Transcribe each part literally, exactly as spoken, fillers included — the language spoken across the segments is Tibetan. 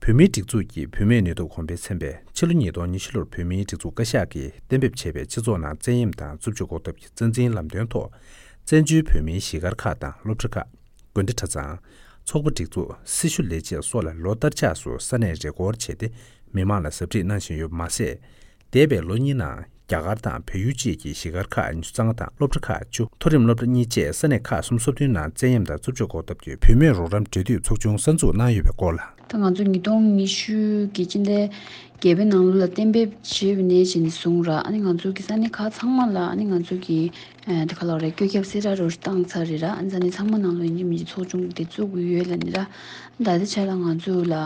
བོད་མིའི་སྒྲིག་འཛུགས་ཀྱི་བུད་མེད་ནུས་སྟོབས་གོང་འཕེལ་ཚན་པས་ཕྱི་ལོ་ཉིས་སྟོང་ཉི་ཤུ་ལོར་བོད་མིའི་སྒྲིག་འཛུགས་བཀའ་ཤག་གིས་གཏན་འབེབས་བྱས་པའི་སྤྱི་ཚོགས་ནང་བཙན་གཡེམ་དང་རྩུབ་སྤྱོད་འགོག་ཐབས་ཀྱི་རྩ་འཛིན་ལམ་སྟོན་ཐོག་བཙན་བྱོལ་བོད་མིའི་གཞིས་སྒར་ཁག་དང་སློབ་གྲྭ་ཁག་དགོན་སྡེ་གྲྭ་ཚང་། ཚོགས་པ་སྒྲིག་འཛུགས། སྲི་ཞུ་ལས་བྱེད་སོགས་ལ་ལོ་ལྟར་ཆགས་སུ་ས་གནས་རེས་སྐོར་བྱས་ཏེ་མི་མང་ལ་ཟབ་ཁྲིད་གནང་བཞིན་ཡོད་པ་མ་ཟད། འདས་པའི་ལོ་གཉིས་ནང་རྒྱ་གར་དང་བལ་ཡུལ་བཅས་ཀྱི་གཞིས་སྒར་ཁག་ཉི་ཤུ་རྩ་ལྔ་དང་སློབ་གྲྭ་ཁག་བཅུ། མཐོ་རིམ་སློབ་གྲྭ་གཉིས་བཅས་ས་གནས་ཁག་སུམ་ཅུ་སོ་བདུན་ནང་བཙན་གཡེམ་དང་རྩུབ་སྤྱོད་འགོག་ཐབས་ཀྱི་བུད་མེད་རོགས་རམ་འབྲེལ་མཐུད་ཚོགས་ཆུང་གསར་འཛུགས་གནང་ཡོད་པའི་སྐོར་ལ། ད་ང་ཚོ་ཉིས་སྟོང་ཉི་ཤུ་གི་སྤྱི་ཟླ་བརྒྱད་པའི་ནང་ལོ་ལ་གཏན་འབེབས་བྱས་པ་ནས་བྱས་ནས་བཟུང་ར། ཨ་ནི་ང་ཚོ་གི་ས་གནས་ཁག་ཚང་མ་ལ་ཨ་ནི་ང་ཚོ་གི་ཨ་དེ་ག་ལབ་རེད། བཀོད་ཁྱབ་གསལ་བསྒྲགས་རོ་བཏང་ཚར་རེད་ར། ཨ་ནི་ས་གནས་ཚང་མ་ནང་ལོ་ཡིན་གཅིག་མིན་གཅིག་ཚོགས་ཆུང་དེ་བཙུགས་ཀྱི་ཡོད་ལབ་ནི་ར། ད་ལྟའི་ཆ་ལ་ང་ཚོ་ལ་ཨ་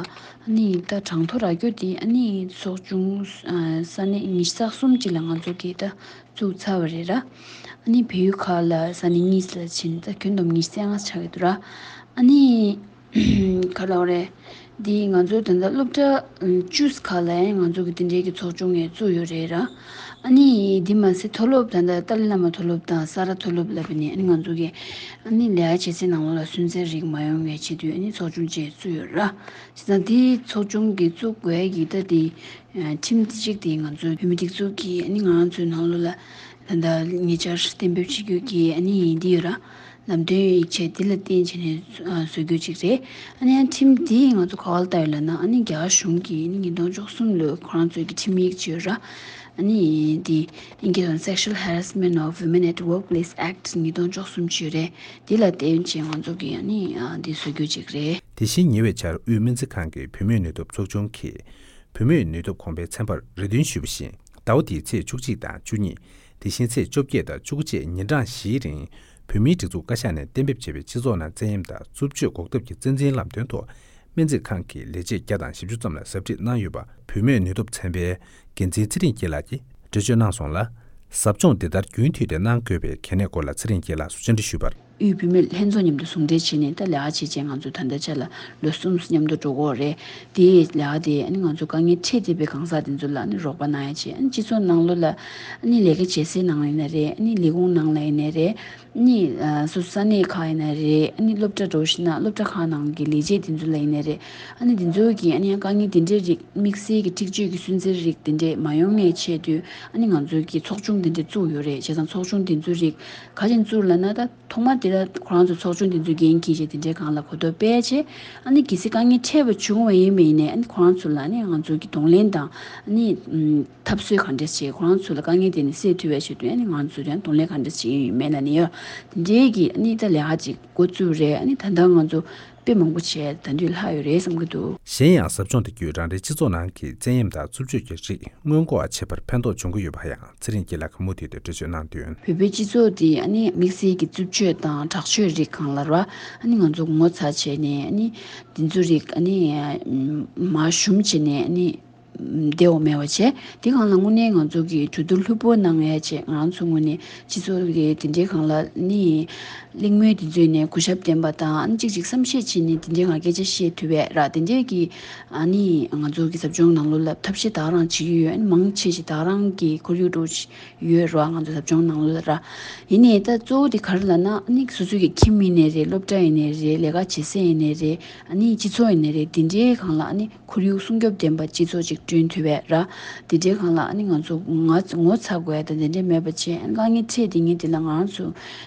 ནི་ད་གྲངས་ཐོ་རག་རྒྱུ་དེ་ཨ་ནི་ཚོགས་ཆུང་ཨ་ས་གནས་ཉི་ཤུ་རྩ་གསུམ་ཅིག་ལ་ང་ཚོ་གིས་ད་བཙུགས་ཚར་བ་རེད་ར། ཨ་ནི་བལ་ཡུལ་ཁག་ལ་ས་གནས་གཉིས་ལ་ཕྱིན་ད་ཁྱོན་བསྡོམས་ཉི་ཤུ་རྩ་ལྔ་ཆགས་ཀྱི་འདུག་ར། ཨ་ནི་ག་ལབ་རེད། འདི་ང་ཚོ་ད་ལྟ་སློབ་གྲྭ་བཅུ་ཁག་ལ་ཡང་ང་ཚོ་གི་དེ་འདྲའི་གི་ཚོགས་ཆུང་ཡང་བཙུགས་ཡོད་རེད་ར། ཨ་ནི་འདི་མ་ཟད་མཐོ་སློབ་ད་ལྟ་ཏཱ་ལའི་བླ་མ་མཐོ་སློབ་དང་ས་རཱ་མཐོ་སློབ་ལབ་པ་ནས་ཨ་ནི་ང་ཚོ་གི་ཨ་ནི་ལས་ཀ་བྱེད་སའི་ནང་ལོགས་ལ་སུན་གཙེར་རིགས་མ་ཡོང་བའི་ཆེད་དུ་ཨ་ནི་ཚོགས་ཆུང་ཅིག་བཙུགས་ཡོད་ར། བྱས་ཙང་དེའི་ཚོགས་ཆུང་གི་བཙུགས་དགོས་ཀྱི་ད་དེ་ཁྲིམས་གཅིག་དེ་ང་ཚོ་བོད་མི་སྒྲིག་འཛུགས་ཀྱིས་ཨ་ནི་ང་རང་ཚོའི་ནང་ལོགས་ལ་ད་ལྟ་ཉེ་ཆར་གཏན་འབེབས་བྱེད་རྒྱུ་གི་ཨ་ནི་འདི་ཡོད་ར། ལམ་སྟོན་ཡིག་ཆ་འདི་ལ་བརྟེན་བྱས་ནས་ཨ་བཟོ་རྒྱུ་ཅིག་རེད། ཨ་ནི་ཁྲིམས་འདི་ང་ཚོ་ག་པར་བལྟ་ཡོད་ལབ་ན་ཨ་ནི་རྒྱ་གར་གཞུང་གིས་ཨ་ནི་ཉིས་སྟོང་བཅུ་གསུམ་ལོའི་ཁོ་རང་ཚོའི་གི་ཁྲིམས་ཡིག་ཅིག་ཡོད་ར། ཨ་ནི་འདི་ཨིན་སྐད་ཐོག་Sexual Harassment of Women at Workplace Act ཉིས་སྟོང་བཅུ་གསུམ་ཅིག་ཡོད་རེད། འདི་ལ་བརྟེན་བྱས་ང་ཚོ་གིས་ཨ་ནི་ཨ་འདི་བཟོ་རྒྱུ་ཅིག་རེད། དེ་བཞིན་ཉེ་བའི་ཆར་དབུས་སྨན་རྩིས་ཁང་གི་བུད་མེད་ནུས་སྟོབས་ཚོགས་ཆུང་གིས་བུད་མེད་ནུས་སྟོབས་གོང་འཕེལ་ཚན་པར་རེ་འདུན་ཞུས་པ་བཞིན། ཟླ་བ་འདིའི་ཚེས་བཅུ་གཅིག་དང་བཅུ་གཉིས། དེ་བཞིན་ཚེས་བཅོ་བརྒྱད་དང་བཅུ་དགུ་བཅས་ཉིན་གྲངས་བཞིའི་རིང་། བོད་མིའི་སྒྲིག་འཛུགས་བཀའ་ཤག་ནས་གཏན་འབེབས་བྱས་པའི་སྤྱི་ཚོགས་ནང་བཙན་གཡེམ་དང་རྩུབ་སྤྱོད་འགོག་ཐབས་ཀྱི་རྩ་འཛིན་ལམ་སྟོན་ཐོག་སྨན་རྩིས་ཁང་གི་ལས་བྱེད་བརྒྱ་དང་བཞི་བཅུ་ཙམ་ལ་ཟབ་ཁྲིད་གནང་ཡོད་པ། བུད་མེད་ནུས་སྟོབས་ཚན་པའི་འགན་འཛིན་ཚེ་རིང་སྐྱིད་ལགས་ཀྱིས་འགྲེལ་བརྗོད་གནང་སོང་ལ། ཟབ་སྦྱོང་འདི་ལྟར་རྒྱུན་མཐུད་དེ་གནང་དགོས་པའི་གལ་གནད་སྐོར་ལ་ཚེ་རིང་སྐྱིད་ལགས་སུ་བཅར་འདྲི་ཞུས་པར། དབུས་བུད་མེད་ལྷན་ཚོགས་མཉམ་དུ་ཟུང་འབྲེལ་བྱས་ནས་ད་ལས་ཀ་བྱེད་ཆེད་ང་ཚོ་ད་ལྟའི་ཆ་ལ་ལོ་གསུམ་མཉམ་དུ་འགྲོ་གི་ཡོད་རེད། དེའི་ལས་ཀ་དེ་ཨ་ནི་ང་ཚོ་དཀའ་ངལ་འཕྲད་བསྡད་པའི་གང་ཟག་དེ་ཚོ་ལ་ཨ་ནི་རོགས་པ་གནང་ཡ་བྱས། ཨ་ནི་སྤྱི་ཚོགས་ནང་ལོགས་ལ་ཨ་ནི་ལས་ཀ་བྱེད་སའི་ནང་ཡིན་ན་རེད། ཨ་ནི་ལས་ཁུངས་ནང་ལ་ཡིན་ན་རེད། ཨ་ནི་ཨ་སོ་སོ་ས་གནས་ཁག་ཡིན་ན་རེད། ཨ་ནི་སློབ་གྲྭ་འགྲོ་ཤེས་ན་སློབ་གྲྭ་ཁག་ནང་གི་ལས་བྱེད་དེ་ཚོ་ལ་ཡིན་ན་རེད། ཨ་ནི་དེ་ཚོ་གི་ཨ་ནི་དཀའ་ངལ་དེ་འདྲའི་རིགས་དམིགས་བསལ་གྱི་འཁྲིག་སྤྱོད་ཀྱི་སུན་གཙེར་རིགས་དེ་འདྲས་མ་ཡོང་ངའི་ཆེད་དུ་ཨ་ནི་ང་ཚོ་གི་ཚོགས་ཆུང་དེ་འདྲས་བཙུགས་ཡོད་རེད། བྱས་ཙང་ཚོགས་ཆུང་དེ་ཚོའི་རིགས་ག་རེ་བཙུགས་ལབ་ན་ད། ཐོག་མ་དེ་ལ་ཁོ་རང་ཚོ་ཚོགས་ཆུང་དེ་ཚོའི་འགན་འཁྱེར་བྱས་དེ་འདྲའི་སྒང་ལ་གོ་རྟོགས་སྤེལ་བྱས། ཨ་ནི་གལ་སྲིད་དཀའ་ངལ་འཕྲད་པ་བྱུང་བ་ཡིན་པ་ཡིན་ནའི་ཨ་ནི་ཁོ་རང་ཚོ་ལ་ཨ་ནི་ང་ཚོ་གི་གདོང་ལེན་དང་ཨ་ནི་ཨམ་འཐབ་རྩོད་ག་འདྲས་བྱས། ཁོ་རང་ཚོ་ལ་དཀའ་ངལ་དེ་ནི་སེལ་ཐུབ་པའི་ཆེད་དུ་ཨ་ནི་ང་ཚོ་ཡང་གདོང་ལེན་ག་འདྲས་བྱས་ཡོད་མེད་ལབ་ནི་ཡོད། དེ་འདྲའི་གི་ཨ་ནི་ད་ལས་ཀ་ཅིག་འགོ་བཙུགས་རེད། ཨ་ནི་ད་ལྟ་ང་ཚོ་དཔེ་མང་པོ་བྱས་ད་དུང་ལྷག་ཡོད་རེད་བསམ་གི་འདུག་གཞན་ཡང་ཟབ་སྦྱོང་དེ་བརྒྱུད་རང་རེའི་སྤྱི་ཚོགས་ནང་གི་བཙན་གཡེམ་དང་རྩུབ་སྤྱོད་ཀྱི་རིགས་སྔོན་འགོག་བྱེད་པར་ཕན་ཐོགས་འབྱུང་གི་ཡོད་པ་ཡང་། ཚེ་རིང་སྐྱིད་ལགས་ཀྱིས་མུ་མཐུད་དུ་འགྲེལ་བརྗོད་གནང་དོན། བོད་པའི་སྤྱི་ཚོགས་འདི་ཨ་ནི་དམིགས་བསལ་གྱི་རྩུབ་སྤྱོད་དང་དྲག་སྤྱོད་རིགས་སྒང་ལ་ར་ཨ་ནི་ང་ཚོ་ངོ་ཚ་བྱས་ནས་ཨ་ནི་འདི་ཚོ་རིགས་ཨ་ནི་མར་ཞུམ་བྱས་ནས་ཨ་ནི་བདེ་བོ་མེད་པ་བྱས། དེ་སྒང་ལ་དངོས་གནས་ང་ཚོ་གི་གྲོས་བསྡུར་ལྷུག་པོ་གནང་ཡ་བྱས། ང་རང་ཚོ་ངོས་ནས་སྤྱི་ཚོགས་ཀྱི་དེ་འདྲའི་སྒང་ལ་ཨ་ནི་གླེང་མོལ་དེ་ཚོ་ནས་གུས་ཞབས་ལྡན་པ་དང་ཨ་ནི་གཅིག་གཅིག་བསམ་ཤེས་བྱས་ནས་དེ་འདྲའི་སྒང་སྐད་ཆ་བཤད་ཐུབ་པའི་ར་དེ་འདྲའི་གི་ཨ་ནི་ང་ཚོ་གི་ཟབ་སྦྱོང་ནང་ལོགས་ལ་ཐབས་ཤེས་ད་ག་རང་བྱེད་ཀྱི་ཡོད། ཨ་ནི་མང་ཆེ་ཞིག་ད་ག་རང་གི་ཁོར་ཡུག་འགྲོ་ཡོད་ར། ང་ཚོ་ཟབ་སྦྱོང་ནང་ལོགས་ལ་ར། ཡིན་ནའི་ད་གཙོ་བོ་དེ་ག་རེ་ལབ་ན་ཨ་ནི་སོ་སོ་གི་ཁྱིམ་ཡིན་ནའི་རེད། སློབ་གྲྭ་ཡིན་ནའི་རེད། ལས་ཀ་བྱེད་ས་ཡིན་ནའི་རེད། ཨ་ནི་སྤྱི་ཚོགས་ཡིན་ནའི་རེད། དེ་འདྲའི་སྒང་ལ་ཨ་ནི་ཁོར་ཡུག་སྲུང་སྐྱོབ་ལྡན་པ་སྤྱི་ཚོགས་ཅིག་བསྐྲུན་ཐུབ་པའི་ར། དེ་འདྲའི་སྒང་ལ་ཨ་ནི་ང་ཚོ་ང་ངོ་ཚ་དགོས་ཡ་ད་དེ་འདྲའི་མེད་པ་བྱས། ཨ་ནི་དཀའ་ངལ་འཕྲད་དེ་ངས་དེ་ལ་ང་རང་ཚོ་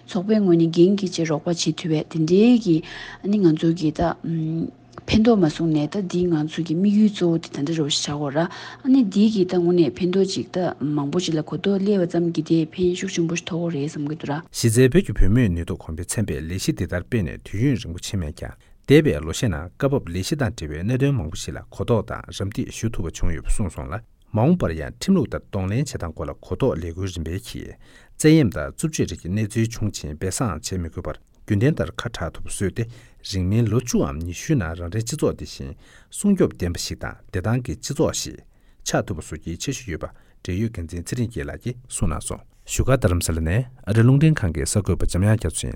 ཚོགས་པའི་ངོས་ནས་འགན་འཁྱེར་བྱས་རོགས་པ་བྱེད་ཐུབ་པའི་དེ་འདྲའི་གི་ཨ་ནི་ང་ཚོ་གི་ད་ཨམ། ཕན་ཐོགས་མ་སོང་ནས་ད་འདི་ང་ཚོ་གི་དམིགས་ཡུལ་གཙོ་བོ་དེ་ད་འདྲ་རོ་ཞིག་ཆགས་ཡོད་ར། ཨ་ནི་འདི་གི་ད་དངོས་གནས་ཕན་ཐོགས་ཅིག་ད་མང་པོ་ཅིག་ལ་གོ་རྟོགས་སླེབས་པ་ཙམ་གྱིས་དེ་ཕན་ཤུགས་ཆེན་པོ་ཞིག་ཐོགས་ཀྱི་རེད་བསམ་གྱི་འདུག་ར། གཞི་རྩའི་བོད་ཀྱི་བུད་མེད་ནུས་སྟོབས་གོང་འཕེལ་ཚན་པས་ལས་གཞི་འདི་ལྟར་སྤེལ་ནས་དུས་ཡུན་རིང་པོ་ཕྱིན་མེད་ཀྱང་། འདས་པའི་ལོ་ཤས་ནང་སྐབས་བབ་ལས་གཞི་དང་འབྲེལ་བའི་གནད་དོན་མང་པོ་ཞིག་ལ་གོ་རྟོགས་དང་རམ་འདེགས་ཞུ་ཐུབ་པ་བྱུང་ཡོད་པ་གསུངས་སོང་ལ། མ་འོངས་པར་ཡང་ཁྲིམས་ལུགས་ལྟར་གདོང་ལེན་བྱེད་སྟངས་སྐོར་ལ་གོ་རྟོགས་ལས་འགུལ་རིམ་པས་ཀྱིས། བཙན་གཡེམ་དང་རྩུབ་སྤྱོད་རིགས་ཀྱི་གནས་ཚུལ་བྱུང་ཕྱིན་སྦས་གསང་བྱེད་མི་དགོས་པར། རྒྱུན་ལྡན་ལྟར་ཁ་གྲག་ཐུབ་པ་བཟོས་ཏེ། རིང་མིན་ལོ་བཅུའམ་ཉི་ཤུའི་ནང་རང་རེའི་སྤྱི་ཚོགས་འདི་བཞིན་སྲུང་སྐྱོབ་ལྡན་པ་ཞིག་དང་བདེ་ཐང་གི་སྤྱི་ཚོགས་ཤིག་ཆགས་ཐུབ་པ་བཟོ་རྒྱུའི་འཆར་གཞི་ཡོད་པ་འབྲེལ་ཡོད་འགན་འཛིན་ཚེ་རིང་སྐྱིད་ལགས་ཀྱིས་གསུངས་གནང་སོང་། བཞུགས་སྒར་རྡ་རམ་ས་ལ་ནས་ཨ་རིའི་རླུང་འཕྲིན་ཁང་གི་གསར་འགོད་པ་འཇམ་དབྱངས་རྒྱ་མཚོ་ཡིན།